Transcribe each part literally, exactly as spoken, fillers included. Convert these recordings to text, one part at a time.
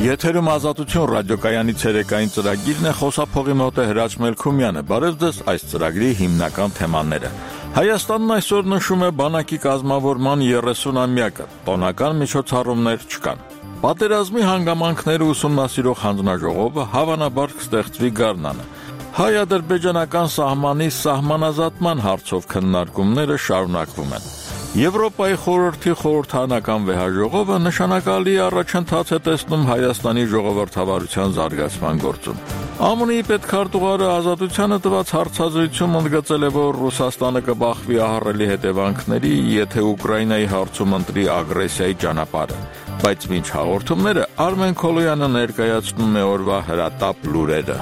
Եթերում Ազատություն ռադիոկայանի ցերեկային ծրագիրն է, խոսափողի մոտ է Հրաչ Մելքումյանը։ Բարև ձեզ, այս ծրագրի հիմնական թեմաները։ Հայաստանն այսօր նշում է բանակի կազմավորման երեսունամյակը, տոնական միջոցառումներ չկան։ Պատերազմի հանգամանքները ուսումնասիրող հանձնաժողովը հավանաբար կստեղծվի գարնանը։ Հայ-ադրբեջանական սահմանի սահմանազատման հարցով քննարկումները շարունակվում են։ Եվրոպայի խորհրդի խորհրդարանական վեհաժողովը նշանակալի առաջընթաց է տեսնում Հայաստանի ժողովրդավարության զարգացման գործում։ ԱՄՆ-ի պետքարտուղարը Ազատությանը տված հարցազրույցում ընդգծել է, որ Ռուսաստանը կբախվի ահռելի հետևանքների, եթե Ուկրաինայի հարցում ընտրի ագրեսիայի ճանապարհը։ Բայց մինչ հաղորդումները Արմեն Քոլոյանը ներկայացնում է օրվա հրատապ լուրերը։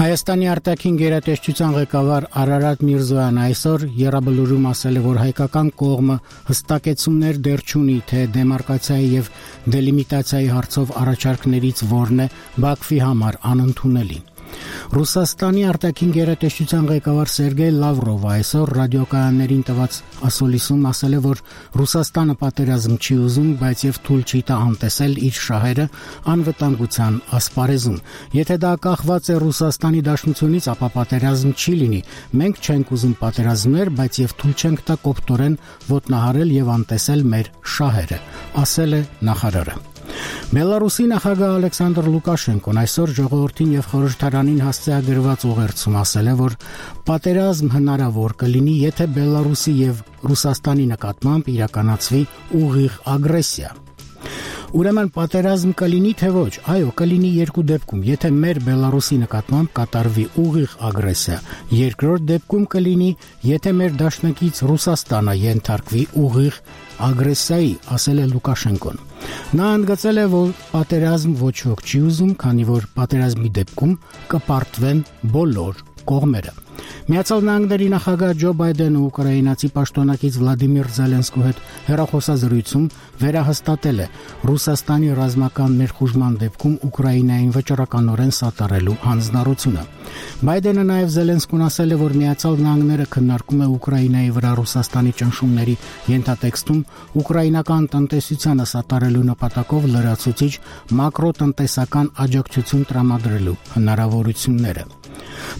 Հայաստանի արտաքին գերատեսչության ղեկավար Արարատ Միրզոյանը այսօր եռաբլուրում ասել է, որ հայկական կողմը հստակեցումներ դեռ չունի, թե դեմարկացիայի եւ դելիմիտացիայի հարցով առաջարկներից որն է Բաքվի համար անընդունելի։ Ռուսաստանի արտաքին գերատեսչության ղեկավար Սերգեյ Լավրովը այսօր ռադիոկայաններին տված ասուլիսում ասել է, որ Ռուսաստանը պատերազմ չի ուզում, բայց եւ թույլ չի տա անտեսել իր շահերը անվտանգության ասպարեզում։ Եթե դա կախված է Ռուսաստանի դաշնությունից, ապա պատերազմ չի լինի։ Մենք չենք ուզում պատերազմներ, բայց եւ թույլ չենք տա կոպտորեն ոտնահարել եւ անտեսել մեր շահերը, ասել է նախարարը։ Բելարուսի նախագահ Ալեքսանդր Լուկաշենկոն այսօր ժողովրդին եւ խորհրդարանին հասցեագրված ուղերձում ասել է, որ պատերազմ հնարավոր կլինի, եթե Բելարուսի եւ Ռուսաստանի նկատմամբ իրականացվի ուղիղ ագրեսիա։ Ուրեմն պատերազմ կլինի թե ոչ, այո, կլինի երկու դեպքում, եթե մեր Բելարուսի նկատմամբ կատարվի ուղիղ ագրեսիա, երկրորդ դեպքում կլինի, եթե մեր դաշնակից Ռուսաստանը ենթարկվի ուղիղ ագրեսիայի, ասել է Լուկաշենկոն։ Նա ընդգծել է, որ պատերազմ ոչ ոք չի ուզում, քանի որ պատերազմի դեպքում կպարտվեն բոլոր կողմերը։ Միացյալ Նահանգների նախագահ Ջո Բայդենը ուկրաինացի պաշտոնակից Վլադիմիր Զելենսկու հետ հեռախոսազրույցում վերահաստատել է Ռուսաստանի ռազմական ներխուժման դեպքում Ուկրաինային վճռականորեն սատարելու հանձնառությունը։ Բայդենը նաև Զելենսկուն ասել է, որ Միացյալ Նահանգները քննարկում է Ուկրաինայի վրա Ռուսաստանի ճնշումների ենթատեքստում ուկրաինական տնտեսությանը սատարելու նպատակով լրացուցիչ մակրոտնտեսական աջակցություն տրամադրելու հնարավորությունները։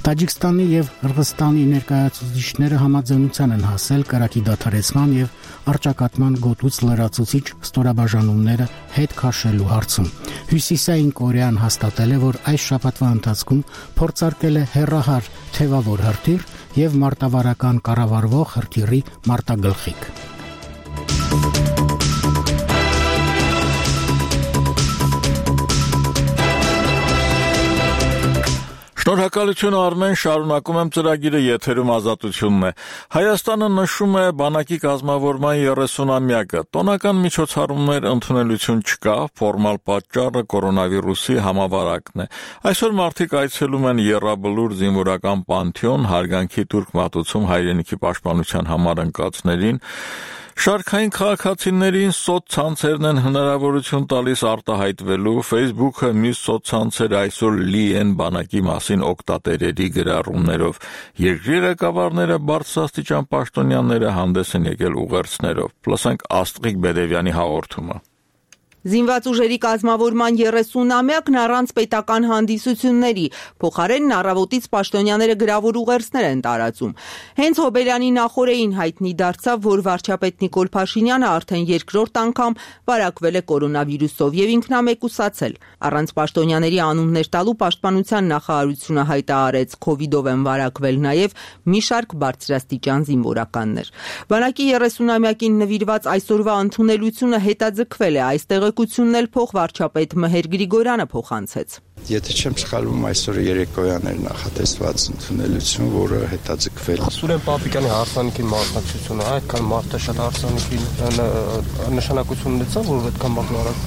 Տաջիկստանի եւ Ղրղստանի ներկայացուցիչները համաձայնության են հասել կրակի դադարեցման եւ առճակատման գոտուց լրացուցիչ ստորաբաժանումները հետ քաշելու հարցում։ Հյուսիսային Կորեան հաստատել է, որ այս շաբաթվա ընթացքում փորձարկել է հեռահար թևավոր հրթիռ եւ մարտավարական կառավարվող հրթիռի մարտագլխիկ։ Շնորհակալություն Արմեն, շարունակում եմ ծրագիրը, եթերում Ազատությունն է։ Հայաստանը նշում է բանակի կազմավորման երեսունամյակը։ Տոնական միջոցառումներ ընդունելություն չկա, ֆորմալ պատճառը կորոնավիրուսի համավարակն է։ Այսօր մարդիկ այցելում են եռաբլուր զինվորական պանթեոն, հարգանքի տուրք մատուցում հայրենիքի պաշտպանության համար ընկածներին։ Շարքային քաղաքացիներին սոցցանցերն են հնարավորություն տալիս արտահայտվելու, Facebook-ը մյուս սոցցանցերը այսօր լի են բանակի մասին օգտատերերի գրառումներով։ Երկրի ղեկավարները բարձրաստիճան պաշտոնյաները հանդես են եկել ուղերձներով։ Լսենք Աստղիկ Բերևյանի հաղորդումը։ Զինված ուժերի կազմավորման երեսունամյակն առանց պետական հանդիսությունների, փոխարենն առավոտից պաշտոնյաները գրավոր ուղերձներ են տարածում։ Հենց Հոբելյանի նախօրեին հայտնի դարձավ, որ վարչապետ Նիկոլ Փաշինյանը արդեն երկրորդ անգամ վարակվել է կորոնավիրուսով եւ ինքնամեկուսացել։ Առանց պաշտոնյաների անուններ տալու պաշտպանության նախարարությունը հայտարարեց քովիդով են վարակվել նաեւ մի շարք բարձրաստիճան զինվորականներ։ Բանակի երեսունամյակին նվիրված այսօրվա ընդունելությունը հետաձգվել է, այստեղ Կությունն էլ փոխվարչապետ Մհեր Գրիգորյանը փոխանցեց։ Եթե չեմ սխալվում, այսօր երեկոյան էր նախատեսված ընդունելություն, որը հետաձգվել։ Սուրեն Պապիկյանի հարսանիքի մասնակցությունը այդքան մարդը շատ հարսանիքի նշանակություն ունեցավ, որ այդքան բան արագ։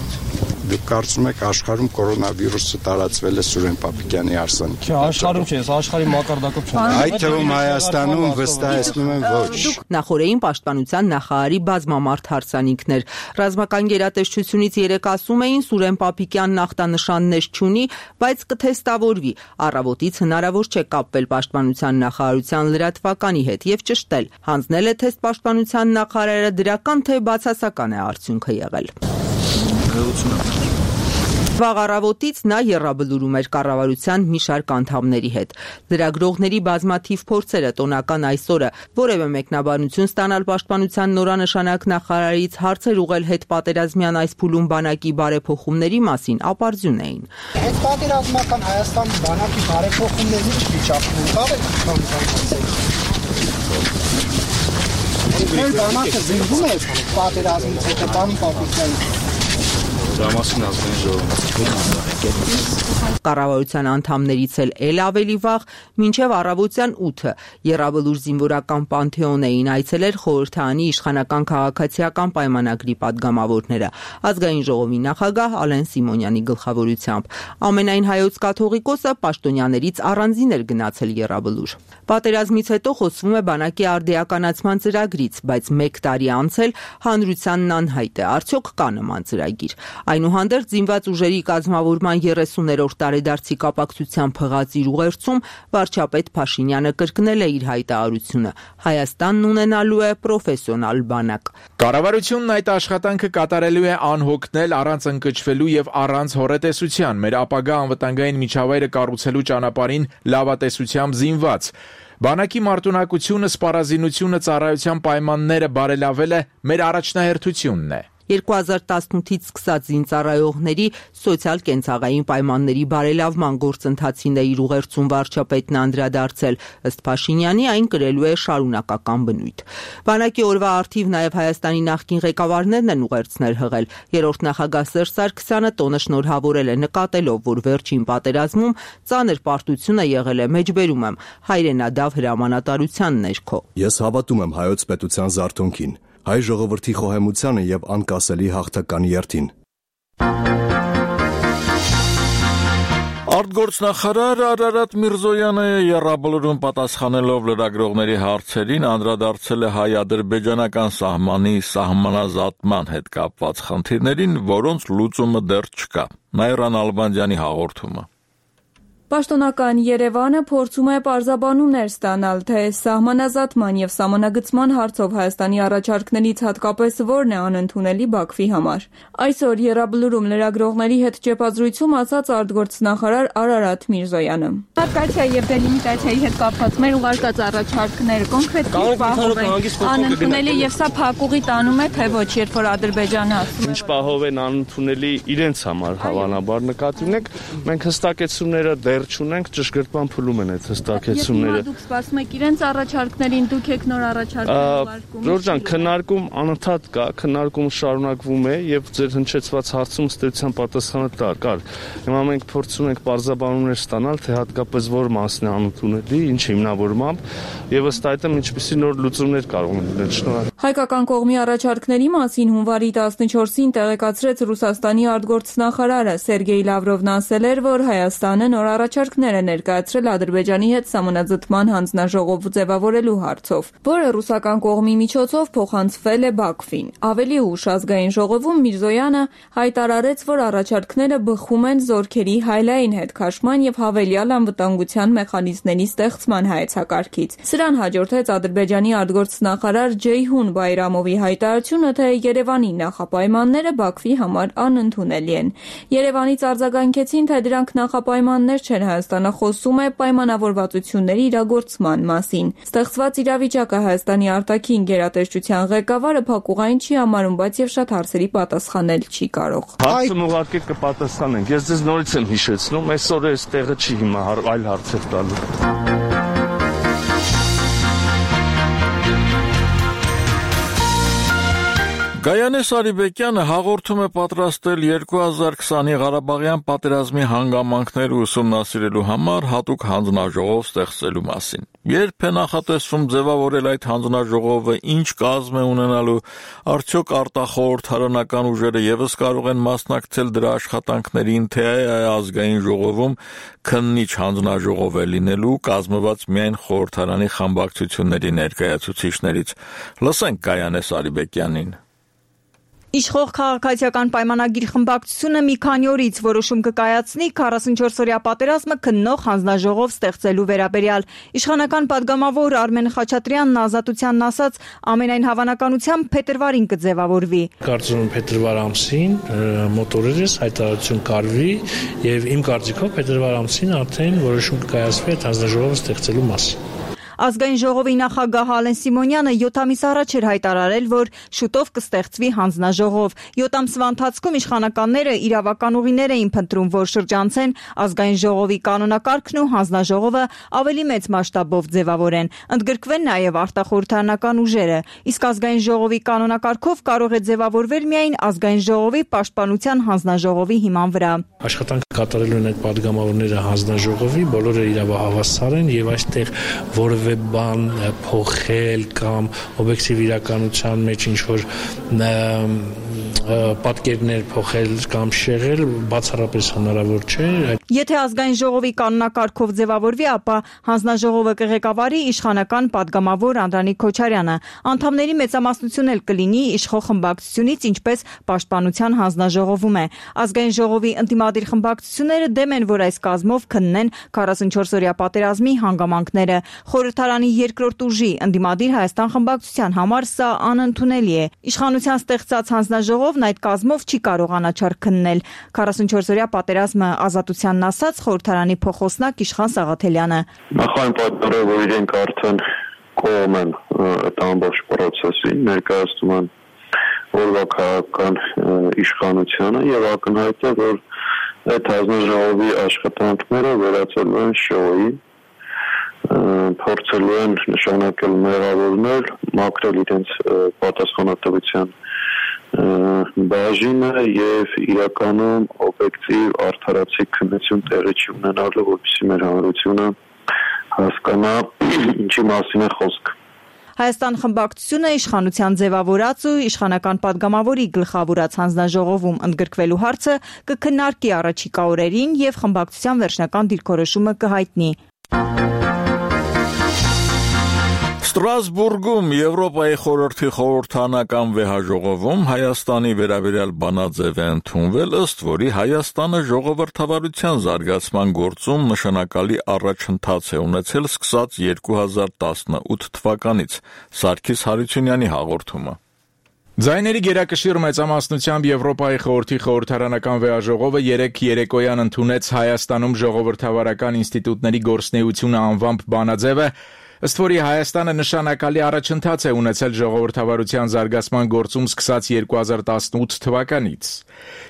Դուք կարծում եք աշխարհում կորոնավիրուսը տարածվել է Սուրեն Պապիկյանի հարսանիքի։ Չէ, աշխարհում չէ, աշխարհի մակարդակով չէ։ Այդ թվում Հայաստանում վստահեցնում եմ ոչ։ Նախորդային պաշտպանության նախարարի բազմամարդ հարսանիքներ։ Ռազմական գերատեսչությունից երեք ասում էին Սուրեն Պապիկյանն ախտանշաններ չունի, բայց կթեստավորվի։ Առավոտից հնարավոր չէ կապվել պաշտպանության նախարարության լրատվականի հետ եւ ճշտել։ Հանձնել է թեստ պաշտպանության նախարարը, դրական թե բացասական է արդյունքը եղել։ Վաղ առավոտից նա եռաբլուրում էր կառավարության մի շարք անդամների հետ։ Լրագրողների բազմաթիվ փորձերը տոնական այսօրը որևէ մեկնաբանություն ստանալ պաշտպանության նորանշանակ նախարարից, հարցեր ուղղել հետպատերազմյան այս փուլում բանակի բարեփոխումների մասին ապարդյուն էին։ Հետպատերազմական Հայաստանի բանակի բարեփոխումների վիճակն անկավ է քան բանակը զինվում է պատերազմից հետո բան պապիկյան Դրամասին ազգային ժողովը։ Կառավարության անդամներից էլ էլ ավելի վաղ, մինչև առավոտյան ութը Եռաբլուր զինվորական պանթեոն էին այցելել խորհրդարանի իշխանական քաղաքացիական պայմանագրի падգամավորները, ազգային ժողովի նախագահ Ալեն Սիմոնյանի գլխավորությամբ։ Ամենայն հայոց կաթողիկոսը պաշտոնյաներից առանձին էր գնացել Եռաբլուր։ Պատերազմից հետո խոսվում է բանակի արդիականացման ծրագրից, բայց մեկ տարի անցել հանրությանն անհայտ է, արդյոք կա նման ծրագիր։ Այնուհանդերձ զինված ուժերի կազմավորման երեսուներորդ տարեդարձի կապակցությամբ փղած իր ուղերձում վարչապետ Փաշինյանը կրկնել է իր հայտարարությունը. Հայաստանն ունենալու է պրոֆեսիոնալ բանակ։ Կառավարությունն այդ աշխատանքը կատարելու է անհոգնել, առանց ընկճվելու եւ առանց հոռետեսության, մեր ապագա անվտանգային միջավայրը կառուցելու ճանապարհին լավատեսությամբ զինված։ Բանակի մարտունակությունը, սպառազինությունը, ծառայության պայմանները բարելավելը մեր առաջնահերթությունն է։ երկու հազար տասնութից սկսած զինծառայողների սոցիալ-կենցաղային պայմանների բարելավման գործընթացին է իր ուղերձում վարչապետն անդրադարձել, ըստ Փաշինյանի այն կրելու է շարունակական բնույթ։ Բանակի օրվա առթիվ նաև Հայաստանի նախկին ղեկավարներն են ուղերձներ հղել։ Երրորդ նախագահ Սերժ Սարգսյանը տոնը շնորհավորել է, նկատելով, որ վերջին պատերազմում ծանր պարտություն է եղել է, մեջբերում եմ, հայրենադավ հրամանատարության ներքո։ Ես հավատում եմ հայոց պետության զարթոնքին, հայ ժողովրդի խոհեմությանը եւ անկասելի հաղթական երթին։ Արտգործնախարար Արարատ Միրզոյանը Եռաբլուրում պատասխանելով լրագրողների հարցերին անդրադարձել է հայ-ադրբեջանական սահմանի սահմանազատման հետ կապված խնդիրներին, որոնց լուծումը դեռ չկա։ Նաիրան Ալբանդյանի հաղորդումը։ Պաշտոնական Երևանը փորձում է պարզաբանումներ ստանալ, թե սահմանազատման եւ սահմանագծման հարցով Հայաստանի առաջարկներից հատկապես որն է անընդունելի Բաքվի համար։ Այսօր Եռաբլուրում լրագրողների հետ ճեպազրույցում ասաց արտգործնախարար Արարատ Միրզոյանը։ Մարտկացիա եւ դելիմիտացիայի հետ կապված մեր ուղարկած առաջարկները կոնկրետ պահով են անընդունելի եւ սա փակուղի տանում է, թե ոչ, երբ որ Ադրբեջանը ասում է։ Ինչ պահով են անընդունելի իրենց համար հավանաբար նկատի ունեք, մենք հստակեցումները դեռ չունենք, ճշգրտման փուլում են այդ հստակեցումները։ Դուք սպասում եք իրենց առաջարկներին, դուք եք նոր առաջարկներ ուղարկում։ Ժորժան, քննարկում անընդհատ կա, քննարկումը շարունակվում է եւ ձեր հնչեցված հարցում ստեցության պատասխանը կար։ Հիմա մենք փորձում ենք պարզաբանումներ ստանալ, թե հատկապես որ մասն է անընդունելի, ինչ հիմնավորմամբ եւ ըստ այդմ ինչպիսի նոր լուծումներ կարող են լինել։ Շնորհակալ։ Հայկական կողմի առաջարկների մասին հունվարի տասնչորսին տեղեկացրեց Ռուսաստանի արտգործնախարարը Սերգեյ Լավրովն ասել էր, որ Հայաստանը նոր առաջարկներ է ներկայացրել Ադրբեջանի հետ սահմանազատման հանձնաժողով ձևավորելու հարցով, որը ռուսական կողմի միջոցով փոխանցվել է Բաքվին։ Ավելի ուշ ազգային ժողովում Միրզոյանը հայտարարեց, որ առաջարկները բխում են զորքերի հայլային հետ քաշման եւ հավելյալ անվտանգության մեխանիզմների ստեղծման հայեցակարգից։ Սրան հաջորդեց Ադրբեջանի արտգործնախարար Ջեյհուն Բայրամովի հայտարարությունը, թե Երևանի նախապայմանները Բաքվի համար անընդունելի են։ Երևանից արձագանքեցին, թե դրանք նախապայմաններ չեն, Հայաստանը խոսում է պայմանավորվածությունների իրագործման մասին։ Ստեղծված իրավիճակը Հայաստանի արտաքին գերատեսչության ղեկավարը փակուղային չի համարում, բայց եւ շատ հարցերի պատասխանել չի կարող։ Հարցը ուղղակի կպատասխանենք։ Ես ձեզ նորից եմ հիշեցնում, այսօր այս տեղը չի հիմա այլ հարցեր տալու։ Գայանե Սարիբեկյանը հաղորդում է պատրաստել երկու հազար քսանի Ղարաբաղյան պատերազմի հանգամանքները ուսումնասիրելու համար հատուկ հանձնաժողով ստեղծելու մասին։ Երբ է նախատեսվում ձևավորել այդ հանձնաժողովը, ինչ կազմ է ունենալու, արդյոք արտախորհրդարանական ուժերը ևս կարող են մասնակցել դրա աշխատանքներին, թե ազգային ժողովում քննիչ հանձնաժողով է լինելու, կազմված միայն խորհրդարանի խմբակցությունների ներկայացուցիչներից։ Լսենք Գայանե Սարիբեկյանին։ Իշխող քաղաքացիական պայմանագիր խմբակցությունը մի քանի օրից որոշում կկայացնի քառասունչորս-օրյա պատերազմը քննող հանձնաժողով ստեղծելու վերաբերյալ։ Իշխանական падգամավոր Արմեն Խաչատրյանն Ազատությանն ասաց, ամենայն հավանականությամբ փետրվարին կձևավորվի։ Կարծում եմ փետրվար ամսին մոտ օրերս հայտարարություն կարվի եւ իմ կարծիքով փետրվար ամսին արդեն որոշում կկայացվի այդ հանձնաժողովը ստեղծելու մասին։ Ազգային ժողովի նախագահ Ալեն Սիմոնյանը յոթ ամիս առաջ էր հայտարարել, որ շուտով կստեղծվի հանձնաժողով։ յոթ ամսվա ընթացքում իշխանականները իրավական ուղիներ էին փնտրում, որ շրջանցեն ազգային ժողովի կանոնակարգն ու հանձնաժողովը ավելի մեծ մասշտաբով ձևավորեն։ Ընդգրկվեն նաև արտախորհրդարանական ուժերը։ Իսկ ազգային ժողովի կանոնակարգով կարող է ձևավորվել միայն ազգային ժողովի պաշտպանության հանձնաժողովի հիման վրա։ Աշխատանք կատարելու են այդ падգամավորները հանձնաժողովի, բոլորը իրավահավասար են եւ այստեղ որևէ բան փոխել կամ օբյեկտիվ իրականության մեջ ինչ-որ պատկերներ փոխել կամ շեղել բացառապես հնարավոր չէ։ Եթե ազգային ժողովի կանոնակարգով ձևավորվի, ապա հանձնաժողովը կղեկավարի իշխանական падգամավոր Անդրանիկ Քոչարյանը։ Անդամների մեծամասնություն էլ կլինի իշխող խմբակցությունից, ինչպես պաշտպանության հանձնաժողովում է։ Ազգային ժողովի ընդդիմադիր խմբակցությունները դեմ են, որ այս կազմով քննեն քառասունչորս-օրյա պատերազմի հանգամանքները։ Խորհրդարանի երկրորդ ուժի ընդդիմադիր Հայաստան խմբակցության համար սա անընդունելի է։ Իշխանության ստեղծած հանձնաժողովն այդ կազմով չի կարող անաչառ քննել։ քառասունչորս-օրյա պատերազմը Ազատությանն ասաց խորհրդարանի փոխոսնակ Իշխան Սաղաթելյանը։ Նախայն պատճառը, որ իրենք արդեն կողմ են այդ ամբողջ process-ին, ներկայացնում են օրվա քաղաքական իշխանությանը եւ ակնհայտ է, որ այդ հանձնաժողովի աշխատանքները վերածելու են շոուի, փորձելու են նշանակել մեղավորներ, մաքրել իրենց պատասխանատվության բաժինը եւ իրականում օբյեկտիվ արդարացի քննություն տեղի չունենալու, որպեսզի մեր հանրությունը հասկանա ինչի մասին է խոսքը։ Հայաստան խմբակցությունը իշխանության ձևավորած ու իշխանական падգամավորի գլխավորած հանձնաժողովում ընդգրկվելու հարցը կքննարկի առաջիկա օրերին եւ խմբակցության վերջնական դիրքորոշումը կհայտնի։ Ստրասբուրգում Եվրոպայի խորհրդի խորհրդանական վեհաժողովում Հայաստանի վերաբերյալ բանաձև է ընդունվել, ըստ որի Հայաստանը ժողովրդավարության զարգացման գործում նշանակալի առաջընթաց է ունեցել սկսած երկու հազար տասնութ թվականից։ Սարգիս Հարությունյանի հաղորդումը։ Ձայների գերակշիռ մեծամասնությամբ Եվրոպայի խորհրդի խորհրդարանական վեհաժողովը երեկ երեկոյան ընդունեց Հայաստանում ժողովրդավարական ինստիտուտների գործունեությունը անվամբ բանաձևը, ըստ որի Հայաստանը նշանակալի առաջընթաց է ունեցել ժողովրդավարության զարգացման գործում սկսած երկու հազար տասնութ թվականից։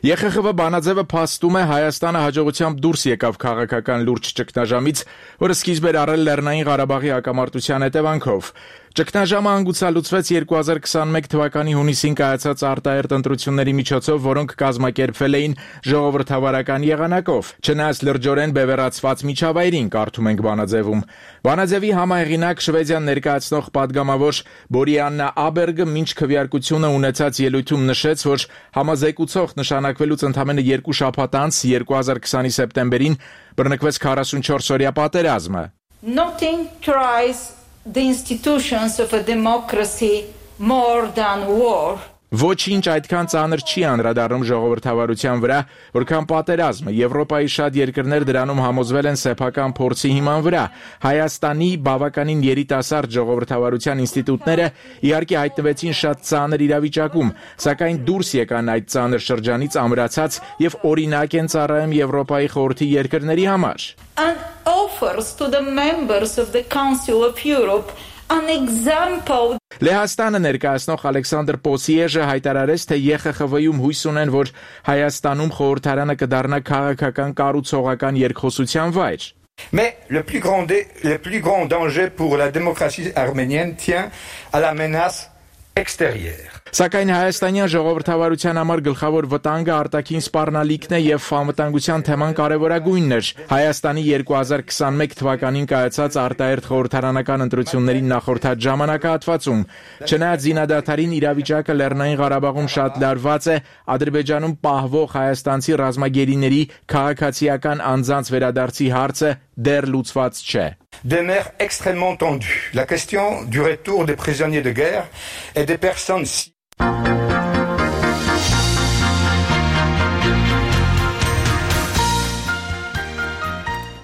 Ե Խ Խ V բանաձևը փաստում է Հայաստանը հաջողությամբ դուրս եկավ քաղաքական լուրջ ճգնաժամից, որը սկիզբ էր առել Լեռնային Ղարաբաղի հակամարտության հետևանքով։ Ճգնաժամը հանգուցալուծվեց երկու հազար քսանմեկ թվականի հունիսին կայացած արտահերթ ընտրությունների միջոցով, որոնք կազմակերպվել էին ժողովրդավարական եղանակով, չնայած լրջորեն բևեռացված միջավայրին, կարդում ենք բանաձևում։ Բանաձևի համահեղինակ Շվեդիան ներկայացնող падգամավոր Բորիաննա Աբերգը մինչ քվեարկությունը ունեցած ելույթում նշեց, որ համազեկուցող նշանակվելուց ընդամենը երկու շաբաթ անց երկու հազար քսանի սեպտեմբերին բռնկվեց քառասունչորս-օրյա պատերազմը։ Nothing tries the institutions of a democracy more than war. Ոչինչ այդքան ծանր չի անդրադառնում ժողովրդավարության վրա, որքան պատերազմը։ Եվրոպայի շատ երկրներ դրանում համոզվել են սեփական փորձի հիման վրա։ Հայաստանի բավականին երիտասարդ ժողովրդավարության ինստիտուտները իհարկե հայտնվեցին շատ ծանր իրավիճակում, սակայն դուրս եկան այդ ծանր շրջանից ամրացած եւ օրինակ են ծառայում Եվրոպայի խորհրդի երկրների համար։ And offers to the members of the Council of Europe an example. Լեհաստանը ներկայացնող Ալեքսանդր Պոսիեժը հայտարարեց, թե Ե Խ Խ V-ում հույս ունեն, որ Հայաստանում խորհրդարանը կդառնա քաղաքական կառուցողական երկխոսության վայր։ Mais le plus grand le plus grand danger pour la démocratie arménienne tient à la menace extérieure. Սակայն հայաստանյան ժողովրդավարության համար գլխավոր վտանգը արտաքին սպառնալիքն է եւ անվտանգության թեման կարեւորագույնն էր։ Հայաստանի երկու հազար քսաներկու թվականին կայացած արտահերթ խորհրդարանական ընտրություններին նախորդած ժամանակահատվածում, չնայած զինադադարին իրավիճակը Լեռնային Ղարաբաղում շատ լարված է, Ադրբեջանում պահվող հայաստանցի ռազմագերիների քաղաքացիական անձանց վերադարձի հարցը դեռ լուծված չէ։ Demeure extrêmement tendue. La question du retour des prisonniers de guerre et des personnes si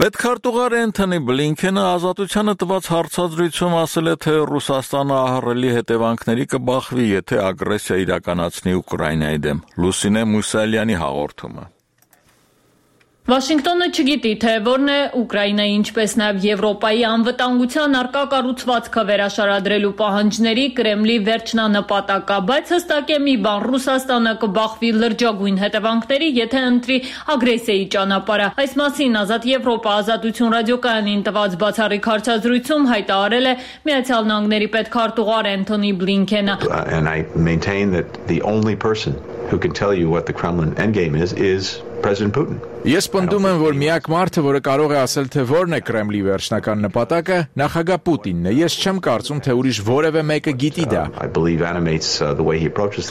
Պետքարտուղար Էնթոնի Բլինքենը ազատությանը տված հարցազրույցում ասել է, թե Ռուսաստանը ահռելի հետևանքների կբախվի, եթե ագրեսիա իրականացնի Ուկրաինայի դեմ։ Լուսինե Մուսալյանի հաղորդումը։ Վաշինգտոնը չգիտի, թե որն է Ուկրաինայի, ինչպես նաև Եվրոպայի անվտանգության առկա կառուցվածքը վերաշարադրելու պահանջների Կրեմլի վերջնանպատակը, բայց հստակ է մի բան՝ Ռուսաստանը կբախվի լրջագույն հետևանքների, եթե ընտրի ագրեսիայի ճանապարհը։ Այս մասին Ազատ Եվրոպա ազատություն ռադիոկայանին տված բացառիկ հարցազրույցում հայտարարել է Միացյալ Նահանգների պետքարտուղար Էնթոնի Բլինքենը։ And I maintain that the only person who can tell you what the Kremlin endgame is is President Putin. Ես պնդում եմ, որ միակ մարդը, որը կարող է ասել, թե որն է Կրեմլի վերջնական նպատակը, նախագահ Պուտինն է։ Ես չեմ կարծում, թե ուրիշ որևէ մեկը գիտի դա։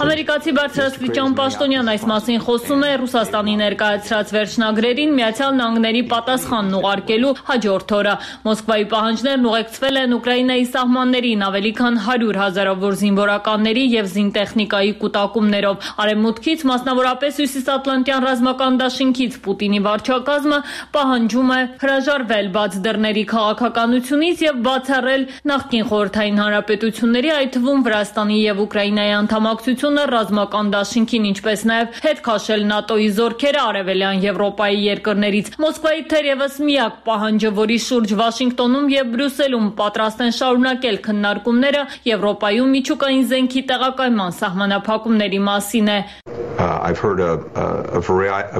Ամերիկացի բարձրաստիճան պաշտոնյան այս մասին խոսում է Ռուսաստանի ներկայացրած վերջնագրերին Միացյալ Նահանգների պատասխանն ուղարկելու հաջորդ օրը։ Մոսկվայի պահանջներն ուղեկցվել են Ուկրաինայի սահմաններին ավելի քան հարյուր հազարավոր զինվորականների եւ զինտեխնիկայի կուտակումներով։ Արևմուտքից, մասնավորապես Հյուսիսատլանտյան ռազմական դաշինքից Պուտինի վարչակազմը պահանջում է հրաժարվել բաց դռների քաղաքականությունից եւ բացառել նախկին խորհրդային հանրապետությունների, այդ թվում Վրաստանի եւ Ուկրաինայի անդամակցությունը ռազմական դաշինքին, ինչպես նաեւ հետ քաշել ՆԱՏՕ-ի զորքերը արևելյան Եվրոպայի երկրներից։ Մոսկվայի թերևս միակ պահանջը, որի շուրջ Վաշինգտոնում եւ Բրյուսելում պատրաստ են շարունակել քննարկումները, Եվրոպայում միջուկային զենքի տեղակայման սահմանափակումների մասին է։ Uh, I've heard a, a,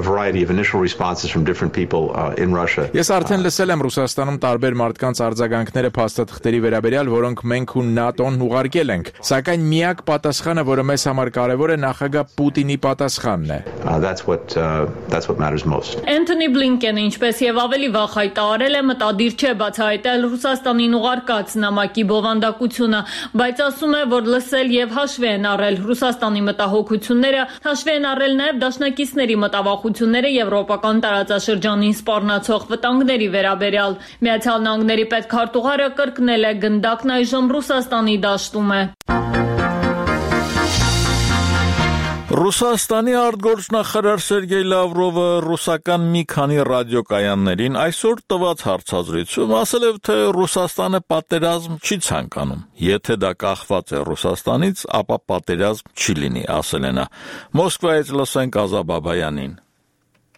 a variety of initial responses from different people uh, in Russia. Ես արդեն լսել եմ Ռուսաստանում տարբեր մարդկանց արձագանքները փաստաթղթերի վերաբերյալ, որոնք մենք ու ՆԱՏՕ-ն ուղարկել ենք, սակայն միակ պատասխանը, որը մեզ համար կարևոր է, նախագահ Պուտինի պատասխանն է։ Uh, that's what uh, that's what matters most. Էնթոնի Բլինքենը, ինչպես եւ ավելի վաղ հայտարարել է, մտադիր չէ բացահայտել Ռուսաստանին ուղարկած նամակի բովանդակությունը, բայց ասում է, որ լսել եւ հաշվի են առել Ռուսաստանի մտահոգությունները, հաշվի են առել նաև դաշնակիցների մտավախությունները եվրոպական տարածաշրջանին սպառնացող վտանգների վերաբերյալ։ Միացյալ Նահանգների պետքարտուղարը կրկնել է գնդակն այժմ Ռուսաստանի դաշտում է։ Ռուսաստանի արտգործնախարար Սերգեյ Լավրովը ռուսական մի քանի ռադիոկայաններին այսօր տված հարցազրույցում ասել է, թե Ռուսաստանը պատերազմ չի ցանկանում։ Եթե դա կախված է Ռուսաստանից, ապա պատերազմ չի լինի, ասել է նա։ Մոսկվայից լսենք Ազա Բաբայանին։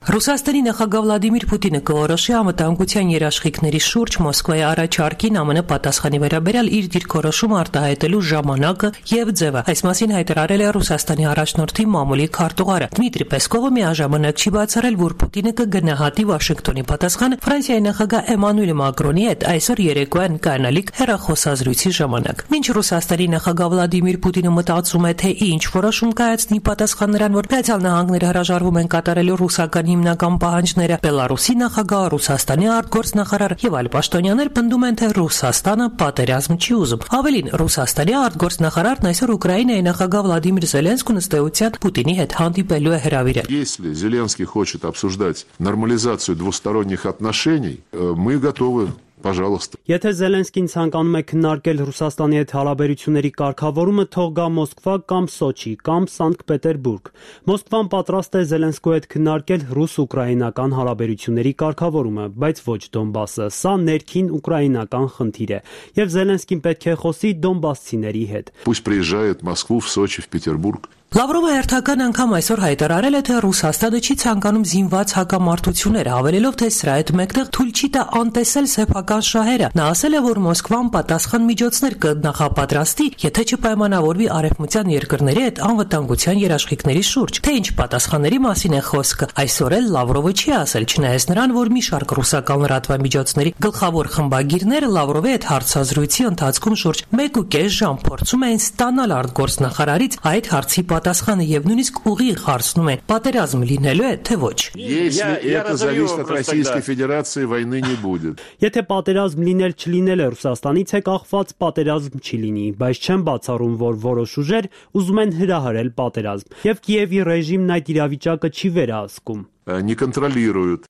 Ռուսաստանի նախագահ Վլադիմիր Պուտինը կորոշի անվտանգության երաշխիքների շուրջ Մոսկվայի առաջարկին ԱՄՆ պատասխանի վերաբերյալ իր դիրքորոշումը արտահայտելու ժամանակը եւ ձևը։ Այս մասին հայտարարել է Ռուսաստանի առաջնորդի մամուլի քարտուղարը Դմիտրի Պեսկովը միաժամանակ չի բացառել, որ Պուտինը կգնահատի Վաշինգտոնի պատասխանը Ֆրանսիայի նախագահ Էմանուել Մակրոնի հետ այսօր երեկոյան կանալիք հեռախոսազրույցի ժամանակ։ Մինչ Ռուսաստանի նախագահ Վլադիմիր Պուտինը մտածում է, թե ինչ որոշում կայացնի պատասխան նրան, որ Միացյալ Նահանգները հրաժարվում են կատարելու ռուսական հիմնական պահանջները, Բելարուսի նախագահ, Ռուսաստանի արտգործնախարար եւ այլ պաշտոնյաներ պնդում են, թե Ռուսաստանը պատերազմ չի ուզում։ Ավելին, Ռուսաստանի արտգործնախարարն այսօր Ուկրաինայի նախագահ Վլադիմիր Զելենսկուն ըստ էության Պուտինի հետ հանդիպելու է հրավիրել։ Если Зеленский хочет обсуждать нормализацию двусторонних отношений, мы готовы. Пожалуйста. Եթե Զելենսկին ցանկանում է քննարկել Ռուսաստանի հետ հարաբերությունների կարգավորումը, թող գա Մոսկվա կամ Սոչի կամ Սանկտ Պետերբուրգ։ Մոսկվան պատրաստ է Զելենսկու հետ քննարկել ռուս-ուկրաինական հարաբերությունների կարգավորումը, բայց ոչ Դոնբասը։ Սա ներքին ուկրաինական խնդիր է, եւ Զելենսկին պետք է խոսի դոնբասցիների հետ։ Пусть приезжает в Москву, в Сочи, в Петербург. Լավրովը հերթական անգամ այսօր հայտարարել է, թե Ռուսաստանը չի ցանկանում զինված հակամարտություններ, հավելելով, թե սրա հետ մեկտեղ թույլ չի տա անտեսել սեփական ռուսական շահերը։ Նա ասել է, որ Մոսկվան պատասխան միջոցներ կնախապատրաստի, եթե չպայմանավորվի արևմտյան երկրների հետ անվտանգության երաշխիքների շուրջ։ Թե ինչ պատասխանների մասին է խոսքը, այսօր էլ Լավրովը չի ասել, չնայած նրան, որ մի շարք ռուսական լրատվամիջոցների գլխավոր խմբագիրները Լավրովի հետ հարցազրույցի ընթացքում շուրջ մեկ ու կես ժամ փորձում էին ստանալ արտգործնախարարից այդ հարցի պատասխանը եւ նույնիսկ ուղիղ հարցնում են՝ պատերազմ լինելու է, թե ոչ։ Если это зависит от Российской Федерации, войны не будет. Եթե պատերազմ լինել չլինելը Ռուսաստանից է կախված, պատերազմ չի լինի, բայց չեմ բացառում, որ որոշ ուժեր ուզում են հրահրել պատերազմ, եւ Կիևի ռեժիմն այդ իրավիճակը չի վերահսկում։ Не контролируют.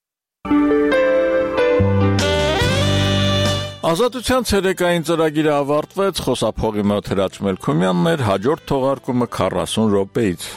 Ազատության ցերեկային ծրագիրը ավարտվեց, խոսափողի մոտ Հրաչ Մելքումյանն էր, հաջորդ թողարկումը քառասուն րոպեից։